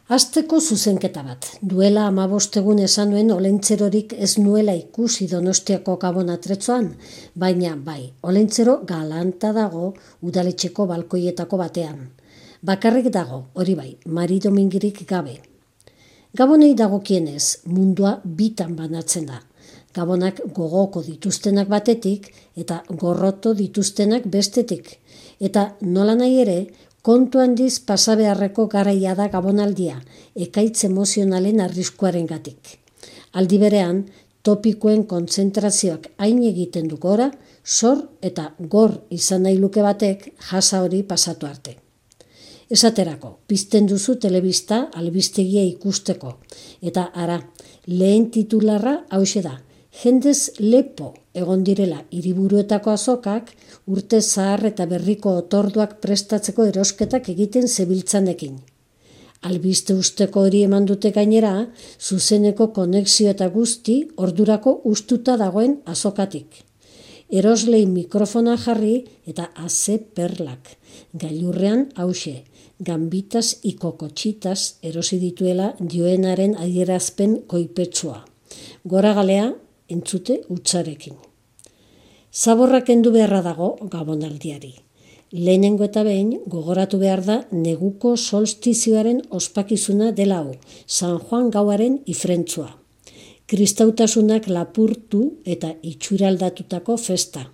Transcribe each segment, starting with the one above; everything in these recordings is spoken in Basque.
Hasteko zuzenketa bat. Duela 15 egun esan nuen olentzerorik ez nuela ikusi Donostiako Gabon atretzoan, baina bai, olentzero galanta dago udaletxeko balkoietako batean. Bakarrik dago, hori bai, Mari Domingirik gabe. Gabonei dagokienez, mundua bitan banatzen da. Gabonak gogoko dituztenak batetik eta gorroto dituztenak bestetik. Eta nola nahi ere, kontu handiz pasabeharreko garaia da Gabonaldia, ekaitz emozionalen arriskuarengatik. Aldi berean, topikoen kontzentrazioak hain egiten du gora, sor eta gor izan nahi luke batek jasa hori pasatu arte. Esaterako, pizten duzu telebista albistegia ikusteko, eta ara, lehen titularra hauxe da, jendez lepo egon direla hiriburuetako azokak urte zahar eta berriko otorduak prestatzeko erosketak egiten zebiltzanekin. Albiste usteko hori eman dute gainera, zuzeneko konexio eta guzti ordurako ustuta dagoen azokatik. Eroslei mikrofona jarri eta aze perlak. Gailurrean hauxe, gambitas ikokotxitas erosi dituela dioenaren adierazpen koipetsua. Gora galea, entzute utzarekin. Zaborra kendu beharra dago Gabonaldiari. Lehenengo eta behin gogoratu behar da neguko solstizioaren ospakizuna dela hau, San Juan gauaren ifrentzua. Kristautasunak lapurtu eta itxuraldatutako festa.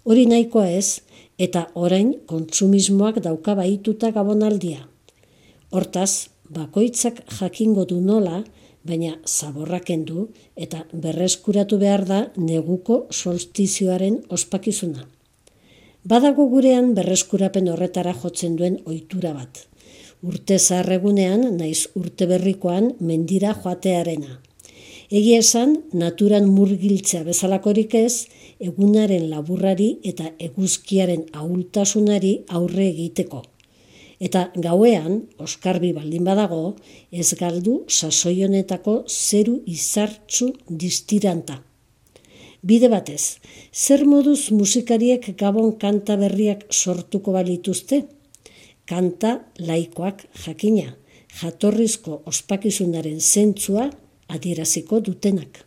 Hori nahikoa ez, eta orain kontsumismoak dauka bahituta Gabonaldia. Hortaz, bakoitzak jakingo du nola, baina zaborra kendu eta berreskuratu behar da neguko solstizioaren ospakizuna. Badago gurean berreskurapen horretara jotzen duen ohitura bat. Urte zaharregunean naiz urte berrikoan mendira joatearena. Egia esan, naturan murgiltzea bezalakorik ez, egunaren laburrari eta eguzkiaren ahultasunari aurre egiteko. Eta gauean, oskarbi baldin badago, ez galdu sasoi honetako zeru izartzu distiranta. Bide batez, zer moduz musikariek Gabon kanta berriak sortuko balituzte? Kanta laikoak jakina, jatorrizko ospakizunaren zentzua adieraziko dutenak.